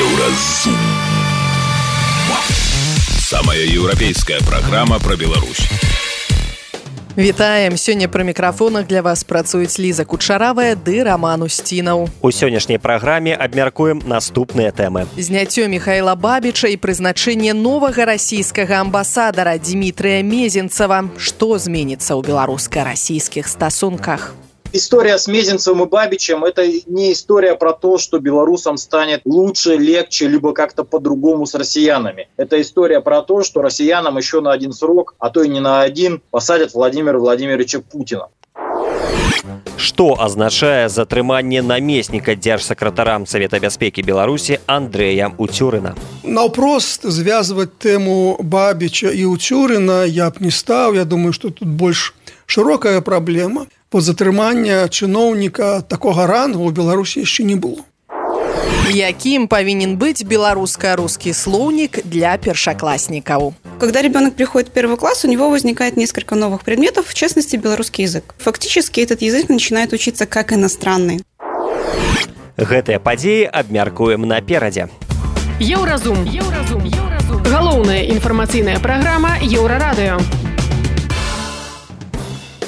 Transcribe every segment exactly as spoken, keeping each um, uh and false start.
Еўразум. Самая еўрапейская праграма пра Беларусь. Вітаем! Сёння пры мікрафонах для вас працуюць Ліза Кучаравая ды Раман Усцінаў. У сённяшняй праграме абмяркуем наступныя тэмы. Зняццё Міхаіла Бабіча і прызначэнне новага расійскага амбасадара Дмітрыя Мезенцева. Што зменіцца ў беларуска-расійскіх стасунках? История с Мезенцевым и Бабичем – это не история про то, что белорусам станет лучше, легче, либо как-то по-другому с россиянами. Это история про то, что россиянам еще на один срок, а то и не на один, посадят Владимира Владимировича Путина. Што азначае затрыманне намесніка дзяржсакратара Савета бяспекі Беларусі Андрэя Уцюрына? Наўпрост звязваць тэму Бабіча і Уцюрына я б не стаў. Я думаю, што тут больш шырокая праблема. Бо затрымання чыноўніка такога рангу ў Беларусі яшчэ не было. Якім павінен быць беларуска-рускі слоўнік для першакласнікаў? Когда ребенок приходит в первый класс, у него возникает несколько новых предметов, в частности, белорусский язык. Фактически этот язык начинает учиться как иностранный. Гэтыя падзеі абмяркуем наперадзе. Еўразум. Еўразум. Еўразум. Галоўная інфармацыйная праграма Еўрарадыё.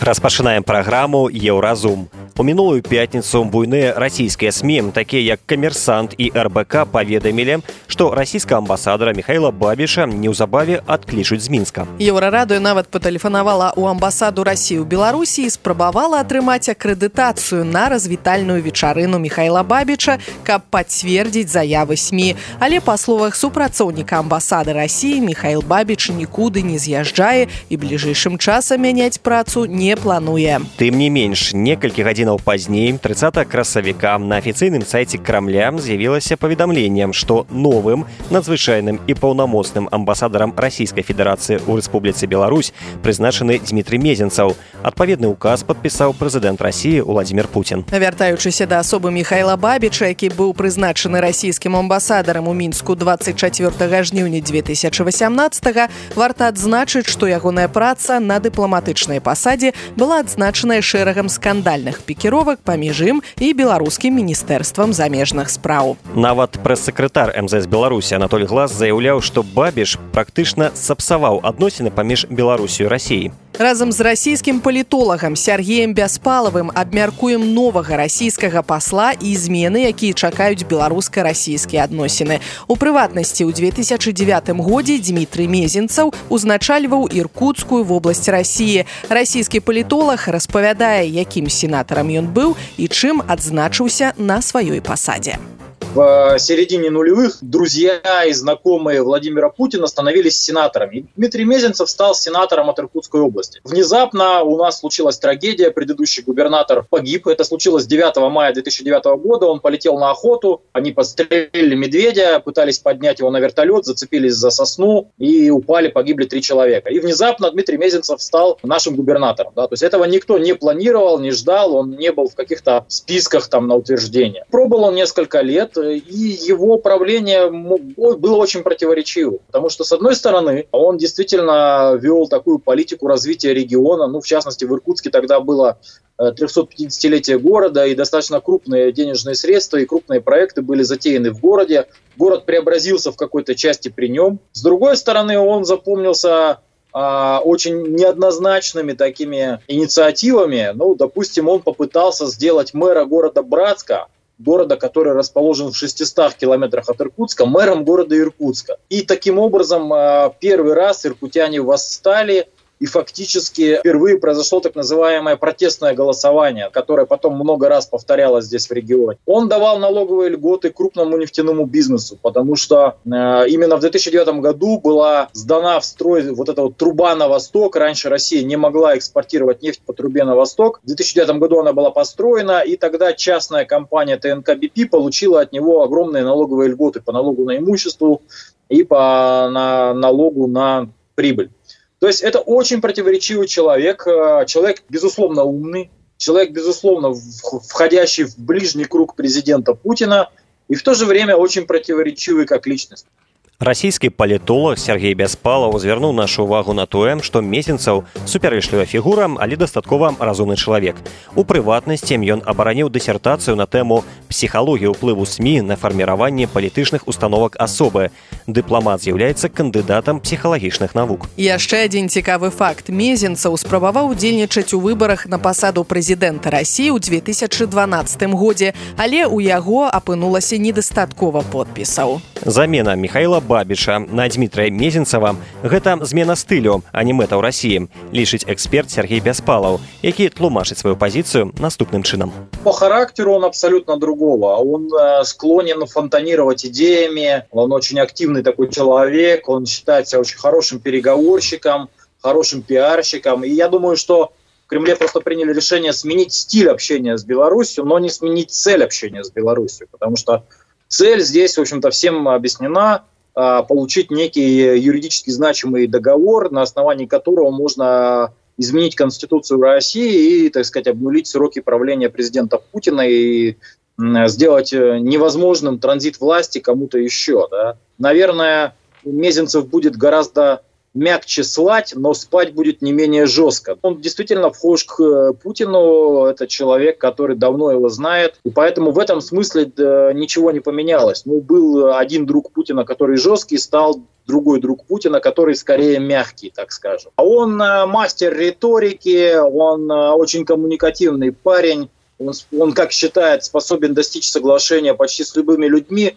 Распачынаем праграму «Еўразум». У мінулую пятніцу буйныя расійскія СМІ, такія як «Камерсант» і эр бэ ка, паведамілі, што расійскага амбасадара Міхаіла Бабіча неўзабаве адклічуць з Мінска. Еўрарадыё нават патэлефанавала ў амбасаду Расіі ў Беларусі і спрабавала атрымаць акрэдытацыю на развітальную вечарыну Міхаіла Бабіча, каб пацвердзіць заявы СМІ. Але па словах супрацоўніка амбасады Расіі, Міхаіл Бабіч нікуды не з'язджае і бліжэйшым часам мяняць працу не плануе. Тым не менш, некалькі гадзінаў пазней, трыццатага красавіка, на афіцыйным сайце Крамля з'явілася паведамленнем, што новым надзвычайным і паўнамоцным амбасадарам Расійскай Федэрацыі ў Рэспубліцы Беларусь прызначаны Дмітрый Мезенцев. Адпаведны ўказ падпісаў прэзідэнт Расіі Владимир Путин. Вяртаючыся да асобы Міхаіла Бабіча, які быў прызначаны расійскім амбасадарам у Мінску дваццаць чацвёртага жніўня дзве тысячы васямнаццатага, варта адзначыць, што ягоная праца на дыпламатычнай пасадзе была адзначаная шэрагам скандальных пікіровак паміж ім і беларускім міністэрствам замежных спраў. Нават прэс-сакратар эм зэ эс Беларусі Анатоль Глас заяўляў, што Бабіч практычна сапсаваў адносіны паміж Беларусю і Расіяй. Разам з расійскім палітолагам Сергеем Бяспалавым абмяркуем новага расійскага пасла і змены, якія чакаюць беларуска-расійскія адносіны. У прыватнасці, ў дзве тысячы дзевятым годзе Дмітрый Мезенцев узначальваў Іркутскую вобласць Расіі. Расійскі палітолаг распавядае, якім сенатарам ён быў і чым адзначыўся на сваёй пасадзе. В середине нулевых друзья и знакомые Владимира Путина становились сенаторами. Дмитрий Мезенцев стал сенатором от Иркутской области. Внезапно у нас случилась трагедия. Предыдущий губернатор погиб. Это случилось девятого мая две тысячи девятого года. Он полетел на охоту. Они подстрелили медведя, пытались поднять его на вертолет, зацепились за сосну и упали, погибли три человека. И внезапно Дмитрий Мезенцев стал нашим губернатором. Да? То есть этого никто не планировал, не ждал. Он не был в каких-то списках там, на утверждение. Пробыл он несколько лет. И его правление было очень противоречивым. Потому что, с одной стороны, он действительно вел такую политику развития региона. Ну, в частности, в Иркутске тогда было трехсотпятидесятилетие города, и достаточно крупные денежные средства и крупные проекты были затеяны в городе. Город преобразился в какой-то части при нем. С другой стороны, он запомнился а, очень неоднозначными такими инициативами. Ну, допустим, он попытался сделать мэра города Братска, города, который расположен в шестистах километрах от Иркутска, мэром города Иркутска. И таким образом первый раз иркутяне восстали, и фактически впервые произошло так называемое протестное голосование, которое потом много раз повторялось здесь в регионе. Он давал налоговые льготы крупному нефтяному бизнесу, потому что э, именно в две тысячи девятом году была сдана в строй вот эта вот труба на восток. Раньше Россия не могла экспортировать нефть по трубе на восток. В две тысячи девятом году она была построена, и тогда частная компания тэ эн ка би пи получила от него огромные налоговые льготы по налогу на имущество и по на, налогу на прибыль. То есть это очень противоречивый человек, человек, безусловно, умный, человек, безусловно, входящий в ближний круг президента Путина и в то же время очень противоречивый как личность. Расійскі палітолог Сергей Бяспалаў звярнуў нашу ўвагу на тое, што Мезенцаў супярэчлівая фігура, але дастаткова разумны чалавек. У прыватнасці ён абараніў дысертацыю на тэму «Псіхалогія ўплыву СМІ на фарміраванне палітычных установак асобы». Дыпламат з'яўляецца кандыдатам псіхалагічных навук. Яшчэ адзін цікавы факт. Мезенцаў спрабаваў удзельнічаць у выбарах на пасаду прэзідэнта Расіі ў дзве тысячы дванаццатым годзе, але ў яго апынулася недастаткова подпісаў. Замена Михаила Бабіча на Дмітрая Мезенцава – гэта змена стылю, а не мэта ў Расіі, лічыць эксперт Сергей Бяспалаў, які тлумачыць свою позицию наступным чином. По характеру он абсолютно другого. Он склонен фонтанировать идеями, он очень активный такой человек, он считает себя очень хорошим переговорщиком, хорошим пиарщиком. И я думаю, что в Кремле просто приняли решение сменить стиль общения с Беларусью, но не сменить цель общения с Беларусью, потому что цель здесь, в общем-то, всем объяснена – получить некий юридически значимый договор, на основании которого можно изменить Конституцию России и, так сказать, обнулить сроки правления президента Путина и сделать невозможным транзит власти кому-то еще. Да? Наверное, Мезенцев будет гораздо мягче слать, но спать будет не менее жестко. Он действительно вхож к Путину, это человек, который давно его знает, и поэтому в этом смысле ничего не поменялось. Ну, был один друг Путина, который жесткий, стал другой друг Путина, который скорее мягкий, так скажем. Он мастер риторики, он очень коммуникативный парень, он, он, как считает, способен достичь соглашения почти с любыми людьми.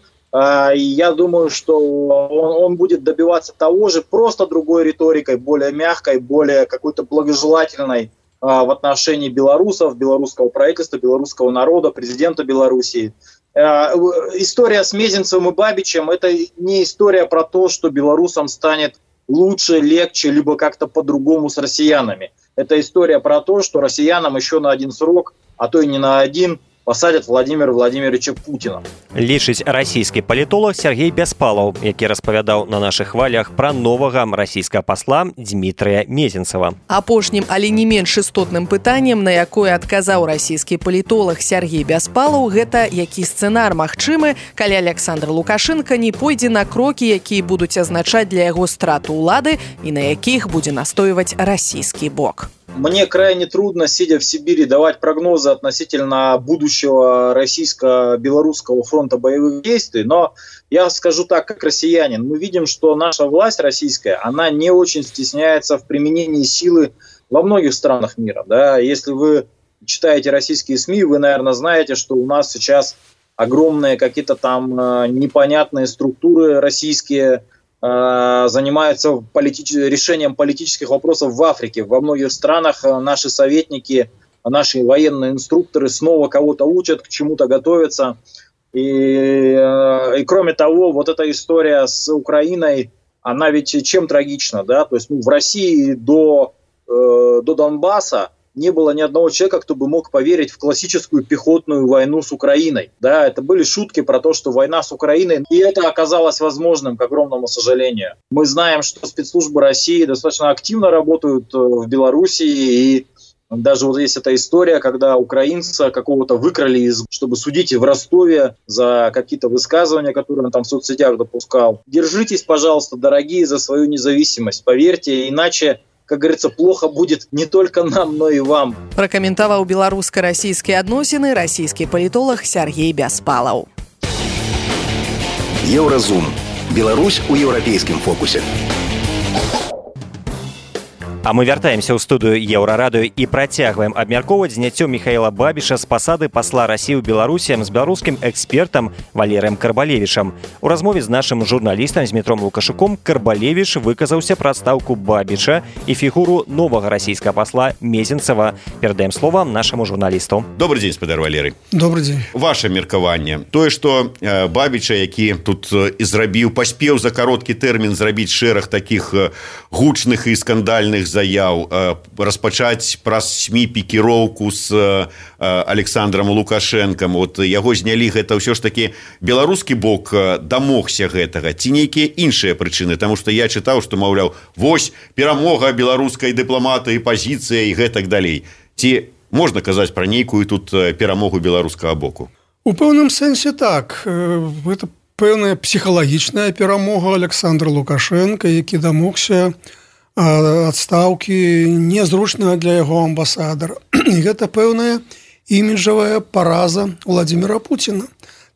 И я думаю, что он, он будет добиваться того же, просто другой риторикой, более мягкой, более какой-то благожелательной а, в отношении белорусов, белорусского правительства, белорусского народа, президента Белоруссии. А, история с Мезенцевым и Бабичем – это не история про то, что белорусам станет лучше, легче, либо как-то по-другому с россиянами. Это история про то, что россиянам еще на один срок, а то и не на один, посадят Владимира Владимировича Путина. Лічыць расійскі палітолог Сергей Бяспалаў, які распавядаў на нашых хвалях пра новага расійскага пасла Дмітрыя Мезенцава. Апошнім, але не менш істотным пытаннем, на якое адказаў расійскі палітолог Сергей Бяспалаў, гэта які сцэнар магчымы, калі Александр Лукашенко не пойдзе на крокі, якія будуць азначаць для яго страту ўлады і на якіх будзе настойваць расійскі бок. Мне крайне трудно, сидя в Сибири, давать прогнозы относительно будущего российско-белорусского фронта боевых действий, но я скажу так, как россиянин. Мы видим, что наша власть российская, она не очень стесняется в применении силы во многих странах мира. Да? Если вы читаете российские СМИ, вы, наверное, знаете, что у нас сейчас огромные какие-то там непонятные структуры российские, занимаются политич... решением политических вопросов в Африке. Во многих странах наши советники, наши военные инструкторы снова кого-то учат, к чему-то готовятся. И, и кроме того, вот эта история с Украиной, она ведь чем трагична, да? То есть ну, в России до, э, до Донбасса не было ни одного человека, кто бы мог поверить в классическую пехотную войну с Украиной. Да, это были шутки про то, что война с Украиной, и это оказалось возможным, к огромному сожалению. Мы знаем, что спецслужбы России достаточно активно работают в Белоруссии, и даже вот есть эта история, когда украинца какого-то выкрали, из, чтобы судить в Ростове за какие-то высказывания, которые он там в соцсетях допускал. Держитесь, пожалуйста, дорогие, за свою независимость. Поверьте, иначе, как говорится, плохо будет не только нам, но и вам. Пракаментаваў беларуска-расійскія адносіны расійскі палітолог Сергей Бяспалаў. Еўразум. Беларусь у еўрапейскім фокусе. А мы вяртаемся ў студыю Еўрарадыё і працягваем абмяркоўваць зняццё Михаила Бабіча з пасады пасла Расіі ў Беларусі з беларускім экспертам Валерыем Карбалевічам. У размове з нашым журналістам Змітром Лукашуком Карбалевіч выказаўся пра адстаўку Бабіча і фігуру новага расійскага пасла Мезенцава. Перадаем слова нашаму журналісту. Добрый дзень, спадар Валерый. Добрый дзень. Ваше меркаванне. Тое, што э, Бабіча, які тут э, і зрабіў, паспеў за кароткі тэрмін зрабіць шэраг такіх э, гучных і скандальных заяў, распачаць праз СМІ пікіроўку з Александром Лукашэнкам. Вот яго знялі, гэта ўсё ж такі беларускі бок дамогся гэтага, ці нейкія іншыя прычыны, таму што я чытаў, што, маўляў, вось перамога беларускай дыпламатыі, пазіцыя і гэтак далей. Ці можна казаць пра нейкую тут перамогу беларускага боку? У пэўным сэнсе так. Гэта пэўная псіхалагічная перамога Александра Лукашенко, які дамогся адстаўкі незручнага для яго амбасадара. І гэта пэўная іміджавая параза Владимира Путина.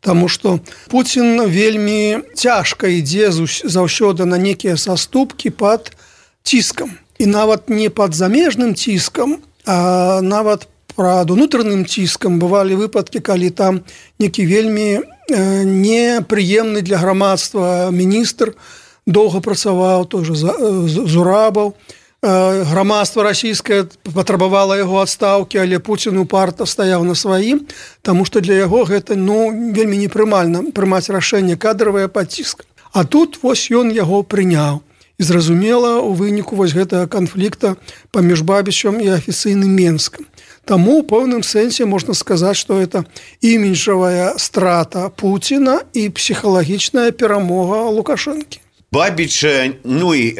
Таму што Путін вельмі цяжка ідзе заўсёды на некія саступкі пад ціскам. І нават не пад замежным ціскам, а нават пад унутраным ціскам. Бывалі выпадкі, калі там некі вельмі непрыемны для грамадства міністр доўга працаваў, той же Зурабаў. Грамадства расійскае патрабавала яго адстаўкі, але Пуцін упарта стаяў на сваім, таму што для яго гэта ну, вельмі непрымальна прымаць рашэнне кадравае пад ціскам. А тут вось ён яго прыняў. І зразумела, у выніку вось гэтага канфлікта паміж Бабічам і афіцыйным Менскам. Таму ў пэўным сэнсе можна сказаць, што гэта іміджавая страта Пуціна і псіхалагічная перамога Лукашэнкі. Бабіч, ну і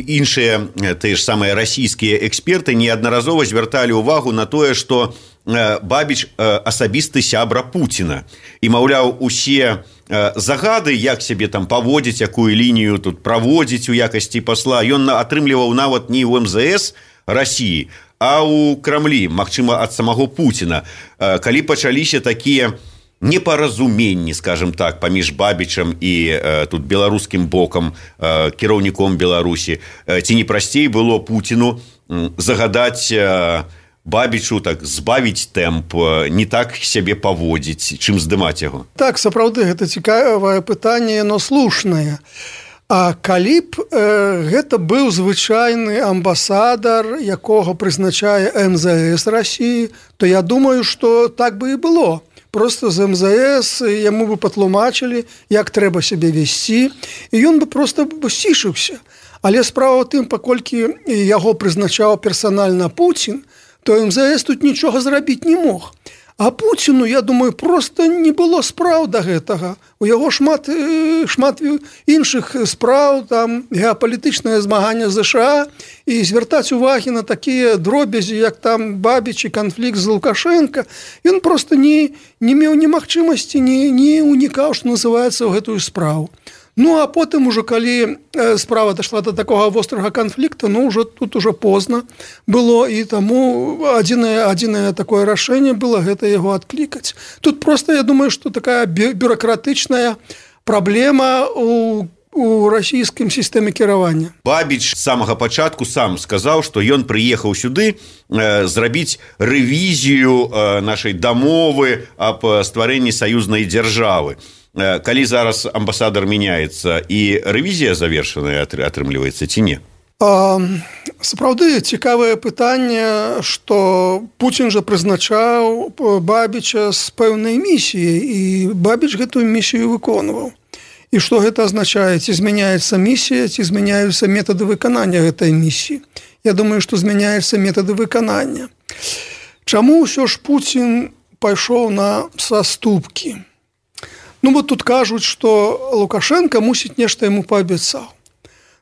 іншыя тыя ж самыя расійскія эксперты неаднаразова звярталі ўвагу на тое, што Бабіч асабісты сябра Пуціна. І, маўляў, усе загады, як сябе там паводзіць, якую лінію тут праводзіць у якасці пасла, ён атрымліваў нават не ў эм зэ эс Расіі, а ў Крамлі, магчыма, ад самого Пуціна. Калі пачаліся такія непаразуменні, скажем так, паміж Бабічам і э, тут беларускім бокам, э, кіраўніком Беларусі, э, ці не прасцей было Пуціну э, загадаць э, Бабічу так збавіць тэмп, э, не так сябе паводзіць, чым здымаць яго? Так, сапраўды, гэта цікавае пытанне, но слушнае. А калі б э, гэта быў звычайны амбасадар, якога прызначае эм зэ эс Расіі, то я думаю, што так бы і было. Просто з эм зэ эс яму бы патлумачылі, як трэба сябе весці, і ён бы просто сцішыўся. Але справа ў тым, паколькі яго прызначаў персанальна Пуцін, то эм зэ эс тут нічога зрабіць не мог. А Пуціну, я думаю, просто не было спраў да гэтага. У яго шмат, шмат іншых спраў, там геапалітычнае змаганне з ЗША, і звяртаць увагі на такія дробязі, як там Бабіч і канфлікт з Лукашенко, ён просто не, не меў ні магчымасці, не, не унікаў, што называецца, ў гэтую справу. Ну, а потым ужо, калі справа дайшла до такога вострага канфлікта, ну, уже тут уже позна было, і таму адзінае, адзінае такое рашэнне было гэта яго адклікаць. Тут просто, я думаю, што такая бюрократычная праблема у у расійскім сістэме кіравання. Бабіч з самага пачатку сам сказаў, што ён прыехаў сюды э, зрабіць рэвізію э, нашай дамовы аб стварэнні саюзнай дзяржавы. Калі зараз амбасадар мяняецца і рэвізія завершаная атрымліваецца ці не? А, сапраўды цікавае пытанне, што Пуцін жа прызначаў Бабіча з пэўнай місіяй, і Бабіч гэтую місію выконваў. І што гэта азначае? Ці змяняецца місія, ці змяняюцца метады выканання гэтай місіі? Я думаю, што змяняюцца метады выканання. Чаму ўсё ж Пуцін пайшоў на саступкі? Ну, вот тут кажуць, што Лукашенко мусіць нешта яму паабяцаў.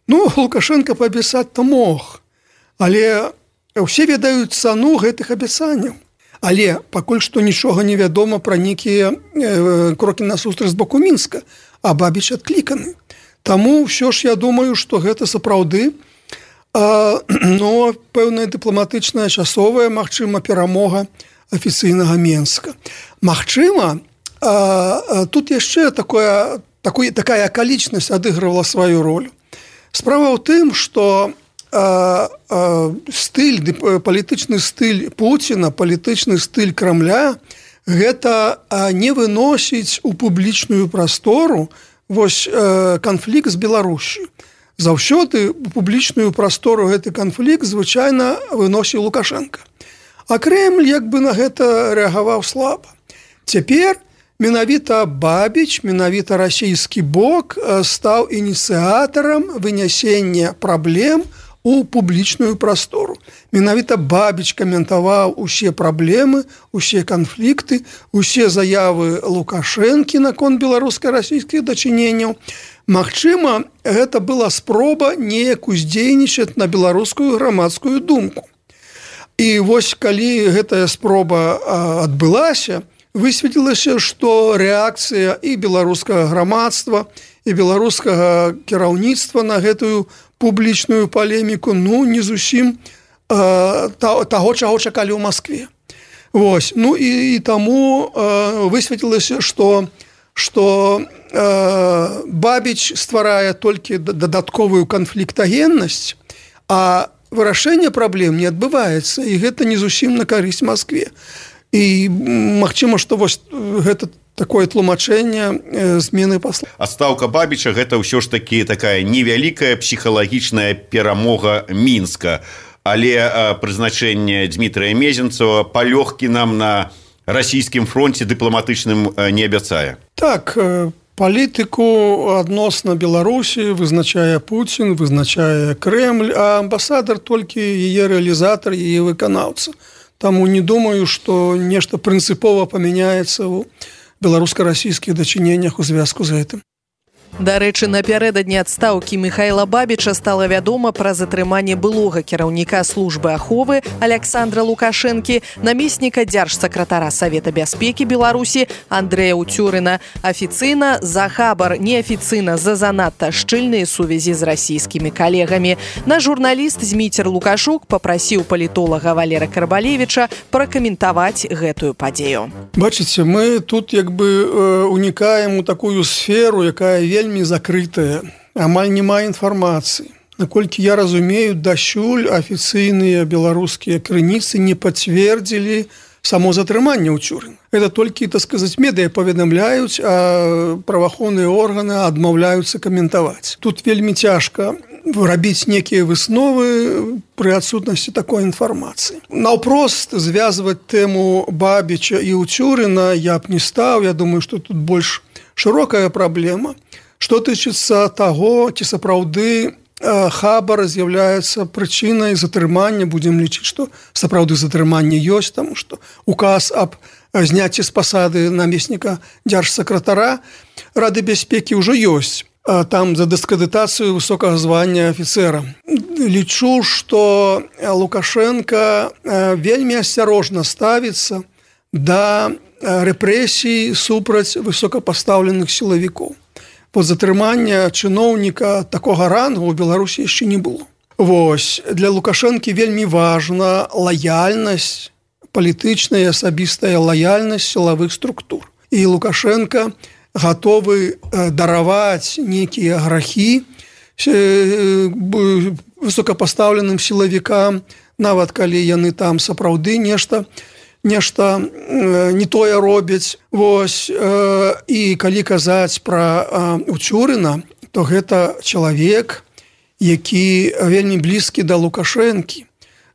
Ну, Лукашенко паабяцаць-то мог, але ўсе ведаюць цану гэтых абяцанняў. Але пакуль што нічога не вядома пра нейкія э, крокі насустрач з боку Мінска, а Бабіч адкліканы. Таму ўсё ж я думаю, што гэта сапраўды э, но пэўная дыпламатычная часовая, магчыма, перамога афіцыйнага Менска. Магчыма, А, тут яшчэ такое, такое, такая акалічнасць адыгрывала сваю ролю. Справа ў тым, што а, а, стыль, палітычны стыль Пуціна, палітычны стыль Крамля гэта а, не выносіць у публічную прастору вось а, канфлікт з Беларусю. Заўсёды у публічную прастору гэты канфлікт звычайна выносіў Лукашенко. А Кремль як бы на гэта рэагаваў слаба. Цяпер менавіта Бабіч, менавіта расійскі бок стаў ініцыятарам вынясення праблем у публічную прастору. Менавіта Бабіч каментаваў усе праблемы, усе канфлікты, усе заявы Лукашэнкі наконт беларуска-расійскіх дачыненняў. Магчыма, гэта была спроба неяк уздзейнічаць на беларускую грамадскую думку. І вось калі гэтая спроба адбылася, высветлілася, што рэакцыя і беларускага грамадства, і беларускага кіраўніцтва на гэтую публічную палеміку, ну, не зусім э, таго, чаго чакалі ў Маскве. Вось. Ну і, і таму э, высветлілася, што, што э, Бабіч стварае толькі дадатковую канфліктагеннасць, а вырашэнне праблем не адбываецца, і гэта не зусім на карысць Маскве. І магчыма, што вось гэта такое тлумачэнне змены пасла. Адстаўка Бабіча гэта ўсё ж такі такая невялікая псіхалагічная перамога Мінска. Але прызначэнне Дмітрыя Мезенцева палёгкі нам на расійскім фронце дыпламатычным не абяцае. Так, палітыку адносна Беларусі вызначае Пуцін, вызначае Крэмль, а амбасадар толькі яе рэалізатар, яе выканаўца. Таму не думаю, што нешта прынцыпова памяняецца ў беларуска-расійскіх дачыненнях у звязку з гэтым. Дарэчы, напярэдадні адстаўкі Михайла Бабіча стала вядома пра затрыманне былога кіраўніка службы аховы Александра Лукашэнкі, намесніка дзяржсакратара Савета бяспекі Беларусі Андрэя Уцюрына. Афіцыйна за хабар, неафіцыйна за занадта шчыльныя сувязі з расійскімі калегамі. Наш журналіст Зміцер Лукашук папрасіў палітолага Валера Карбалевіча пракаментаваць гэтую падзею. Бачыце, мы тут як бы унікаем у такую сферу, якая вельмі вельмі закрытая, амаль няма інфармацыі. Наколькі я разумею, дасюль афіцыйныя беларускія крыніцы не пацвердзілі само затрыманне Уцюрына. Это толькі, так сказаць, медыя паведамляюць, а праваахоўныя органы адмаўляюцца каментаваць. Тут вельмі цяжка рабіць некія высновы пры адсутнасці такой інфармацыі. Наўпрост звязваць тэму Бабіча і Уцюрына я б не стаў. Я думаю, што тут больш шырокая праблема. Што тычыцца таго, ці сапраўды хабар з'яўляецца прычынай затрымання, будзем лічыць, што сапраўды затрыманне ёсць, таму што указ аб зняцці з пасады намесніка дзяржсакратара Рады бяспекі ўжо ёсць. Там за дыскрэдытацыю высокага звання афіцэра. Лічу, што Лукашенко вельмі асцярожна ставіцца да рэпрэсій супраць высокапастаўленых сілавікоў. Бо затрымання чыноўніка такога рангу ў Беларусі яшчэ не было. Вось, для Лукашэнкі вельмі важна лаяльнасць, палітычная і асабістая лаяльнасць сілавых структур. І Лукашенко гатовы дараваць некія грахі высокапастаўленым сілавікам, нават калі яны там сапраўды нешта нешта не тое робяць. Вось, і калі казаць пра Уцюрына, то гэта чалавек, які вельмі блізкі да Лукашэнкі.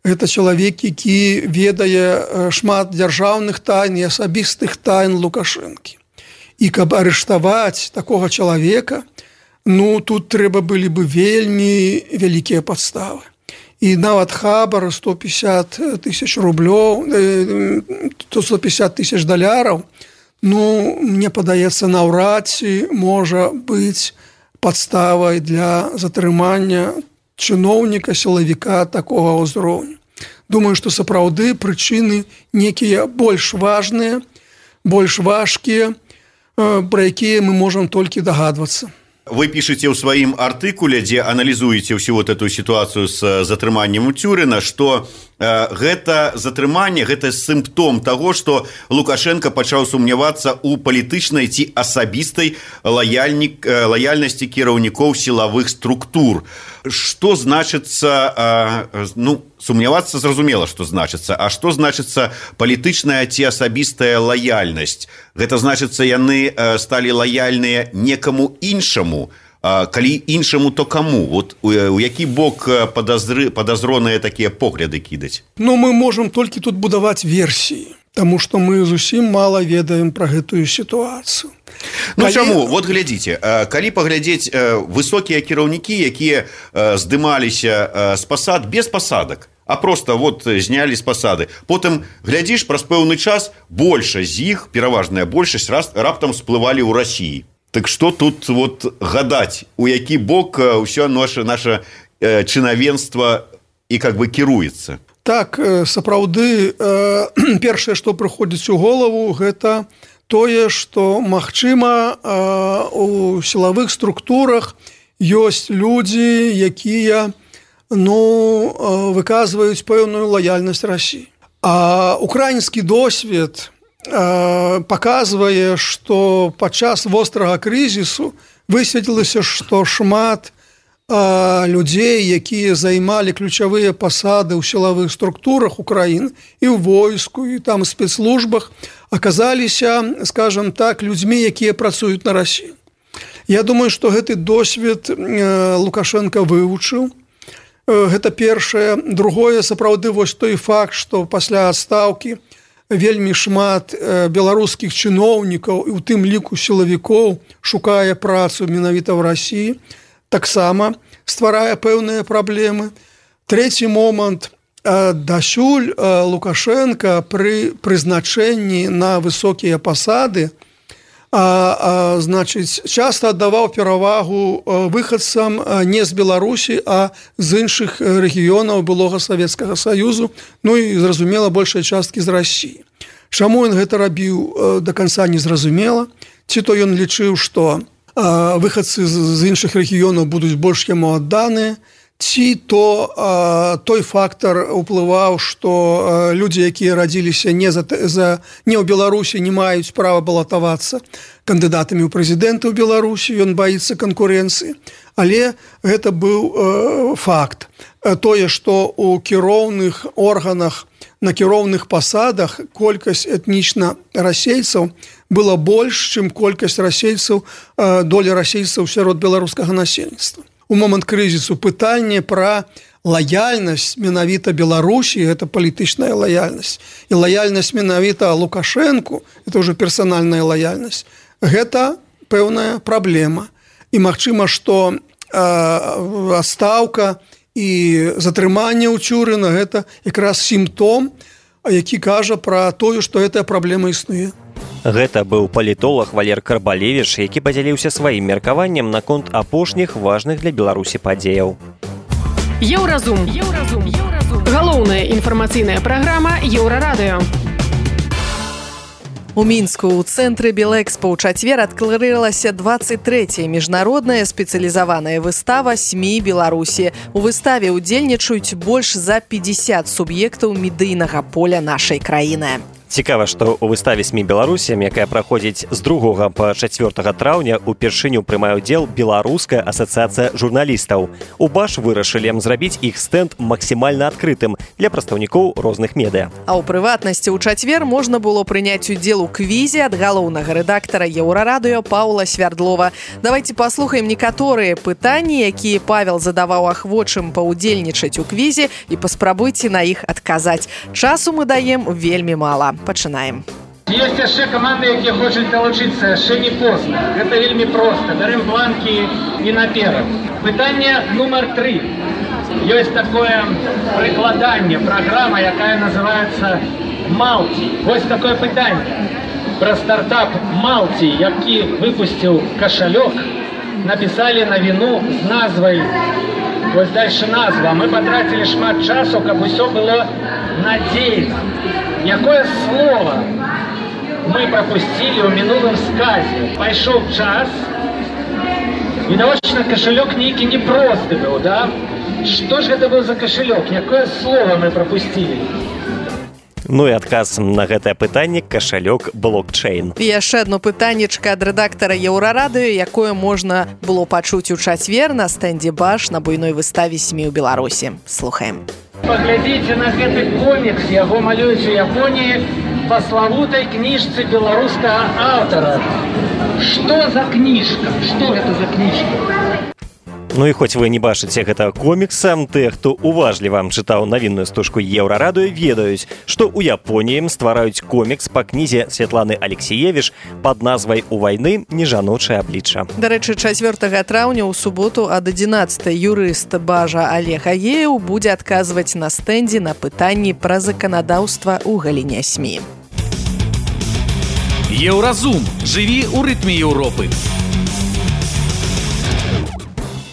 Гэта чалавек, які ведае шмат дзяржаўных тайн і асабістых тайн Лукашэнкі. І каб арыштаваць такога чалавека, ну, тут трэба былі бы вельмі вялікія падставы. І нават хабар сто пятьдесят тысяч рублёў, сто пятьдесят тысяч даляраў, ну, мне падаецца, наўрад ці можа быць падставай для затрымання чыноўніка, сілавіка такога ўзроўню. Думаю, што сапраўды прычыны некія больш важныя, больш важкія, пра якія мы можам толькі дагадвацца. Вы пишете ў сваім артыкуле, дзе аналізуеце ўсю вот эту сітуацыю з затрыманнем Уцюрына, што э, гэта затрыманне, гэта сімптом таго, што Лукашенко пачаў сумнявацца ў палітычнай ці асабістай лаяльнік, э, лаяльнасці кіраўнікоў сілавых структур. Што значыцца, э, ну, сумнявацца зразумела, што значыцца, а што значыцца палітычная ці асабістая лаяльнасць? Гэта значыцца, яны э, сталі лаяльныя некаму іншаму, э, калі іншаму, то каму? Вот у, у які бок падазры, падазроныя такія погляды кідаць? Ну, мы можам толькі тут будаваць версіі, таму што мы зусім мала ведаем пра гэтую сітуацыю. Ну, калі... чаму? Вот глядзіце, калі паглядзець высокія кіраўнікі, якія здымаліся з пасад без пасадак, а просто вот знялі з пасады. Потым, глядзіш, праз пэўны час большасць з іх, пераважная большасць, раптам сплывалі ў Расіі. Так што тут вот гадаць, у які бок ўсё наша, наша чынавенства і как бы кіруецца? Так, сапраўды, першае, што прыходзіць у голову, гэта тое, што, магчыма, у сілавых структурах ёсць людзі, якія, ну, выказваюць пэўную лаяльнасць Расіі. А украінскі досвед паказвае, што падчас вострага крызісу высветлілася, што шмат людзей, якія займалі ключавыя пасады ў сілавых структурах Украіны і ў войску, і там спецслужбах, аказаліся, скажам так, людзьмі, якія працуюць на Расію. Я думаю, што гэты досвед Лукашенко вывучыў. Гэта першае. Другое, сапраўды, вось той факт, што пасля адстаўкі вельмі шмат беларускіх чыноўнікаў і ў тым ліку сілавікоў шукае працу менавіта ў Расіі, таксама стварае пэўныя праблемы. Трэці момант. Дасюль Лукашенко пры прызначэнні на высокія пасады а, а, значыць, часта аддаваў перавагу выхадцам не з Беларусі, а з іншых рэгіёнаў былога Савецкага Саюзу, ну і, зразумела, большай часткі з Расіі. Чаму ён гэта рабіў, да канца не зразумела. Ці то ён лічыў, што а, выхадцы з іншых рэгіёнаў будуць больш яму адданыя, ці то а, той фактар уплываў, што а, людзі, якія радзіліся не, за, за, не ў Беларусі, не маюць права балатавацца кандыдатамі ў прэзідэнты ў Беларусі, ён баіцца канкурэнцыі. Але гэта быў а, факт. Тое, што ў кіроўных органах, на кіроўных пасадах колькасць этнічна расейцаў была больш, чым колькасць расейцаў, а, доля расейцаў сярод беларускага насельніцтва. У момант крызісу пытанне пра лаяльнасць менавіта Беларусі, гэта палітычная лаяльнасць, і лаяльнасць менавіта Лукашэнку, это ўжо персанальная лаяльнасць, гэта пэўная праблема. І магчыма, што адстаўка і затрыманне ў Цюрына гэта якраз сімптом, які кажа пра тое, што гэтая праблема існуе. Гэта быў палітолог Валер Карбалевіч, які падзяліўся сваім меркаваннем наконт апошніх важных для Беларусі падзеяў. Еўразум. Еўразум. Еўразум. Галоўная інфармацыйная праграма Еўрарадыё. У Мінску ў цэнтры Белэкспа ў чацвер адкрылася дваццаць трэцяя міжнародная спецыялізаваная выстава СМІ Беларусі. У выставе ўдзельнічаюць больш за пятьдесят суб'ектаў медыйнага поля нашай краіны. Цікава, што ў выставе СМІ Беларусі, якая праходзіць з другога па чацвёртага траўня, упершыню прымае ўдзел Беларуская асацыяцыя журналістаў. У БАШ вырашылі зрабіць іх стэнд максімальна адкрытым для прадстаўнікоў розных медыа. А ў прыватнасці ў чацвер можна было прыняць удзел у квізе ад галоўнага рэдактара Еўрарадыё Паўла Свярдлова. Давайте паслухаем некаторыя пытанні, якія Павел задаваў ахвочым паўдзельнічаць у квізе, і паспрабуйце на іх адказаць. Часу мы даем вельмі мала. Пачынаем. Ёсць яшчэ каманды, якія хочуць далучыцца, яшчэ не позна. Гэта вельмі проста. Бярем бланкі і наперад. Пытанне нумар тры. Ёсць такое прыкладанне, праграма, якая называецца «Малці». Вось такое пытанне. Пра стартап «Малці», які выпусціў кашалёк, напісалі навіну з назвай. Вось дальше назва. Мы патратілі шмат часу, каб усё было надзейна. Якое слово мы пропустили ў мінулым сказе? Пайшоў час, відавочна, кошелек нейкі непросты быў, да? Што ж гэта быў за кошелек? Якое слово мы пропустили? Ну і адказ на гэтае пытанне кашалёк блокчейн. І яшчэ одно пытаннечка ад рэдактара Еўрарадыё, якое можна было пачуць у чацвер на стэндзе БАШ на буйной выставе СМІ ў Беларусі. Слухаем. Паглядзіце на гэты комікс, яго малююць у Японіі па славутай кніжцы беларускага аўтара. Што за кніжка? Што гэта за кніжка? Ну і хоць вы не бачыце гэтага комікса, тыя, хто уважліва чытаў навінную стужку Еўрарадыё, ведаюць, што ў Японіі ствараюць комікс па кнізе Святланы Алексіевіч пад назвай «У вайны не жаночае аблічча». Дарэчы, чацвёртага траўня ў суботу ад адзінаццатай юрыст БАЖа Олег Агеев будзе адказваць на стэндзе на пытанні пра заканадаўства ў галіне СМІ. Еўразум. Жыві ў рытме Еўропы.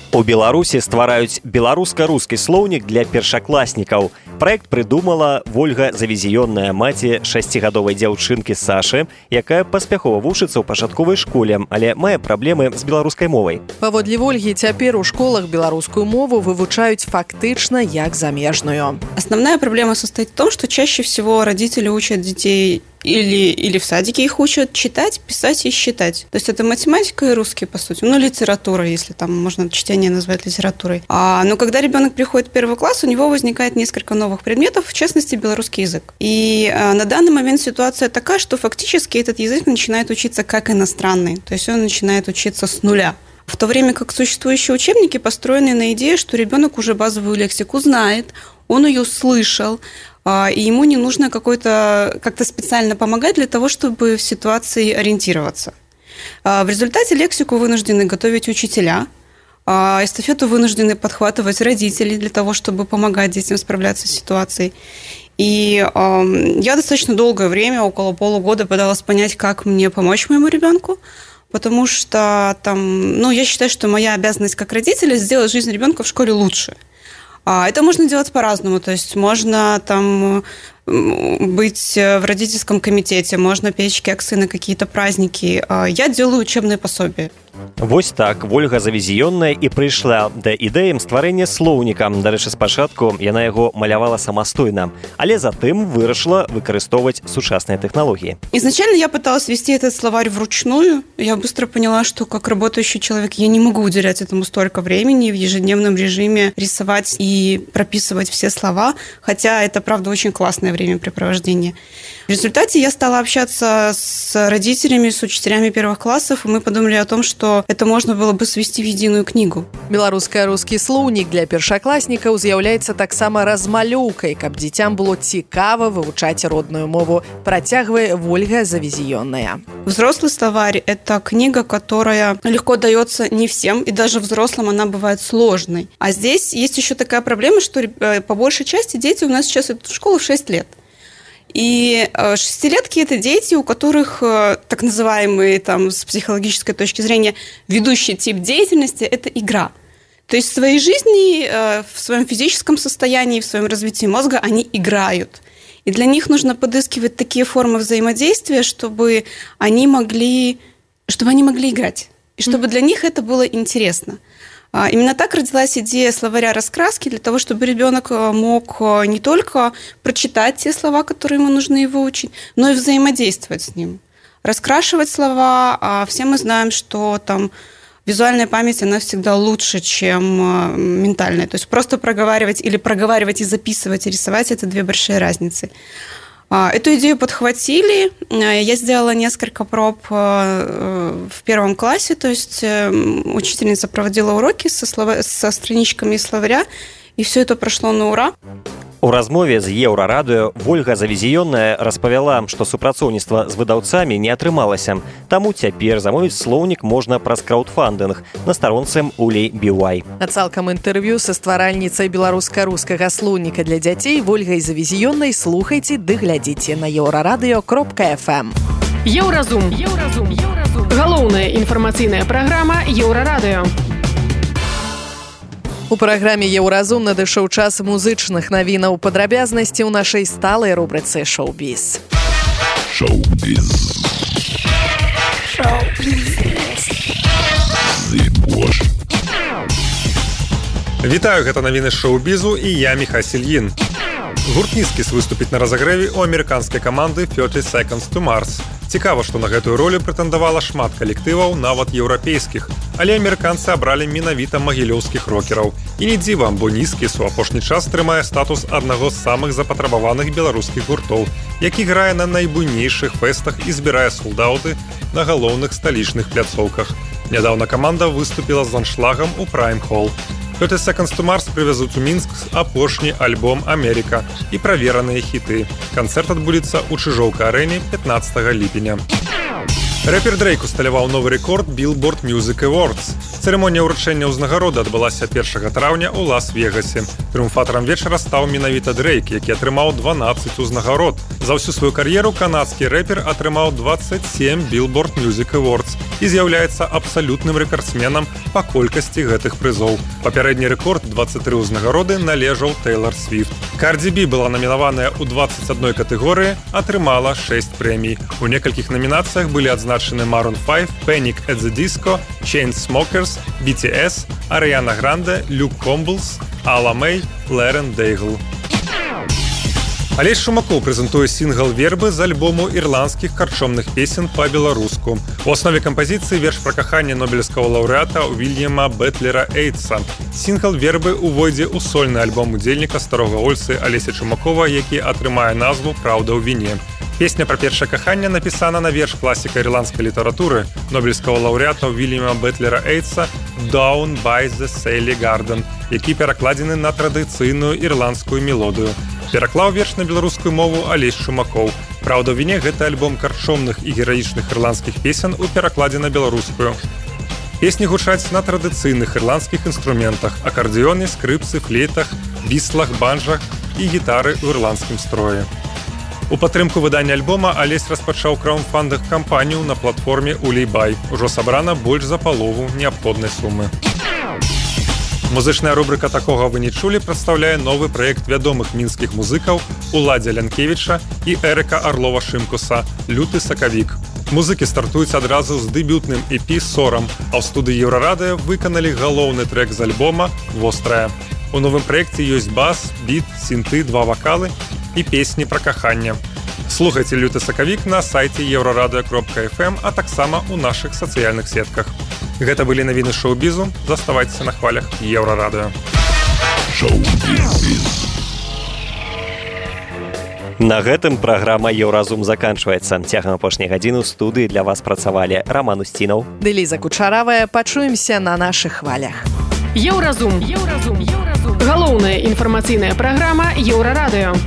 У Беларусі ствараюць беларуска-рускі слоўнік для першакласнікаў. Праект прыдумала Вольга Завезіённая, маці шасцігадовай дзяўчынкі Сашы, якая паспяхова вучыцца ў пачатковай школе, але мае праблемы з беларускай мовай. Паводле Вольгі, цяпер у школах беларускую мову вывучаюць фактычна як замежную. Основная проблема состоит в том, что чаще всего родители учат детей или, или в садике их учат читать, писать и считать. То есть это математика и русский, по сути. Ну, литература, если там можно чтение назвать литературой. А, но когда ребенок приходит в первый класс, у него возникает несколько новых предметов, в частности, белорусский язык. И а, на данный момент ситуация такая, что фактически этот язык начинает учиться как иностранный. То есть он начинает учиться с нуля. В то время как существующие учебники построены на идее, что ребенок уже базовую лексику знает, он ее слышал, и ему не нужно какой-то, как-то специально помогать для того, чтобы в ситуации ориентироваться. В результате лексику вынуждены готовить учителя, эстафету вынуждены подхватывать родители для того, чтобы помогать детям справляться с ситуацией. И э, я достаточно долгое время, около полугода, пыталась понять, как мне помочь моему ребенку, потому что там, ну, я считаю, что моя обязанность как родителя сделать жизнь ребенка в школе лучше. Это можно делать по-разному, то есть можно там быть в родительском комитете, можно печь кексы на какие-то праздники. Я делаю учебные пособия. Вось так Вольга Завезіённая і прыйшла да ідэям стварэння слоўніка. Дарэчы, спачатку яна яго малявала самастойна, але затым вырашыла выкарыстоўваць сучасныя тэхналогіі. Изначально я пыталась вести этот словарь вручную. Я быстро поняла, что как работающий человек я не могу уделять этому столько времени в ежедневном режиме рисовать и прописывать все слова, хотя это, правда, очень классное времяпрепровождение. В результате я стала общаться с родителями, с учителями первых классов, и мы подумали о том, что это можно было бы свести в единую книгу. Беларуска-рускі слоўнік для першакласнікаў з'яўляецца таксама размалёўкай, каб дзіцям было цікава вывучаць родную мову, працягвае Вольга Завезіённая. Взрослый словарь – это книга, которая легко дается не всем, и даже взрослым она бывает сложной. А здесь есть еще такая проблема, что по большей части дети у нас сейчас идут в школу в шесть лет. И шестилетки – это дети, у которых так называемый там, с психологической точки зрения ведущий тип деятельности – это игра. То есть в своей жизни, в своем физическом состоянии, в своем развитии мозга они играют. И для них нужно подыскивать такие формы взаимодействия, чтобы они могли, чтобы они могли играть. И чтобы для них это было интересно. Именно так родилась идея словаря раскраски, для того, чтобы ребенок мог не только прочитать те слова, которые ему нужно выучить, но и взаимодействовать с ним. Раскрашивать слова, а все мы знаем, что там визуальная память, она всегда лучше, чем ментальная. То есть просто проговаривать или проговаривать и записывать, и рисовать – это две большие разницы. Эту идею подхватили. Я сделала несколько проб в первом классе, то есть учительница проводила уроки со, слова... со страничками из словаря, и все это прошло на ура. У размове з Еўрарадыё Вольга Завезіённая распавяла, што супрацоўніцтва з выдаўцамі не атрымалася. Таму цяпер замовіць слоўнік можна праз краўдфандынг на старонцы Улей Бівай. А цалкам інтэрв'ю са стваральніцай беларуска-рускага слоўніка для дзяцей Вольгай Завезіённай слухайце ды глядзіце на еўрарадыё кропка эф эм. Еўразум. Еўразум. Еўразум. Галоўная інфармацыйная праграма Еўрарадыё. У праграме «Еўразум» надышоў час музычных навінаў. Падрабязнасці ў нашай сталай рубрыцы «Шоу-біз». Шоу-біз. Шоу-біз. Вітаю, гэта навіны шоу-бізу і я Міхась Ільін. Гурт «Нізкіс» выступіць на разагрэве ў амерыканскай каманды thirty seconds to Mars. Цікава, што на гэтую ролю прэтэндавала шмат калектываў, нават еўрапейскіх, але амерыканцы абралі менавіта магілёўскіх рокераў. І не дзіва, бо «Нізкіс» у апошні час трымае статус аднаго з самых запатрабаваных беларускіх гуртоў, які грае на найбуйнейшых фэстах і збірае солдаўты на галоўных сталічных пляцоўках. Нядаўна каманда выступіла з аншлагам у Prime Hall. thirty seconds to Mars прывязуць у Мінск апошні альбом «Америка» і правераныя хіты. Канцэрт адбудзецца ў Чыжоўка-арэне пятнадцатага ліпеня. Рэпер Дрейк усталяваў новы рэкорд Billboard Music Awards. Цырымонія ўручэння ўзнагароды адбылася першага траўня ў Лас-Вегасе. Трыумфатарам вечара стаў менавіта Дрейк, які атрымаў дванаццаць узнагарод. За ўсю сваю кар'еру канадскі рэпер атрымаў дваццаць сем Billboard Music Awards і з'яўляецца абсалютным рэкардсменам па колькасці гэтых прызоў. Папярэдні рэкорд дваццаць тры ўзнагароды належаў Тэйлар Свіфт. Карди Би была намінаваная ў дваццаць адной катэгорыі, атрымала шэсць прэмій. У некалькіх намінацыях былі адзначаны Maroon five, Panic at the Disco, Chainsmokers, би ти эс, Ariana Grande, Люк Комблс, Алла Мэй, Лэрэн Дейгл. Алесь Шумакоў прэзентуе сінгл «Вербы» з альбому ірландскіх карчомных песен па-беларуску. У аснове кампазіцыі верш пра каханне нобелеўскага лаўрэата Уільяма Бэтлера Эйтса. Сінгл «Вербы» увойдзе ў сольны альбом удзельніка старога Ольсы Алеся Шумакова, які атрымае назву «Праўда ў віне». Песня пра першае каханне напісана на верш класіка ірландскай літаратуры нобелеўскага лаўрэата Уільяма Бэтлера Эйтса «Down by the Sally Garden», які перакладзены на традыцыйную ірландскую мелодыю. Пераклаў верш на беларускую мову Алесь Шумакоў. «Праўда ў віне» – гэта альбом карчомных і гераічных ірландскіх песен у перакладзе на беларускую. Песні гучаць на традыцыйных ірландскіх інструментах – акардыёне, скрыпцы, флейтах, біслах, банджах і гітары ў ірландскім строі. У падтрымку выдання альбома Алесь распачаў краўдфандынг кампанію на платформе Улейбай. Ужо сабрана больш за палову неабходнай сумы. Музычная рубрика «Такога вы не чулі» прадстаўляе новы праект вядомых мінскіх музыкаў Уладзя Лянкевіча і Эрыка Арлова-Шымкуса «Люты сакавік». Музыкі стартуюць адразу з дэбютным і пі «Сорам», а ў студыі Еўрарадыё выканалі галоўны трэк з альбома «Вострая». У новым праекце ёсць бас, біт, сінты, два вакалы і песні пра каханне. Слухайце «Люты сакавік» на сайце еўрарадыё кропка эф эм, а таксама ў нашых сацыяльных сетках. Гэта былі навіны шоу-бізу. Заставайцеся на хвалях Еўрарадыё. На гэтым праграма «Еўразум» заканчваецца. Цягам апошняй гадзіны ў студыі для вас працавалі Раман Усцінаў, Дэліза Кучаравая. Пачуемся на нашых хвалях. Еўразум. Еўразум. Галоўная інфармацыйная праграма Еўрарадыё.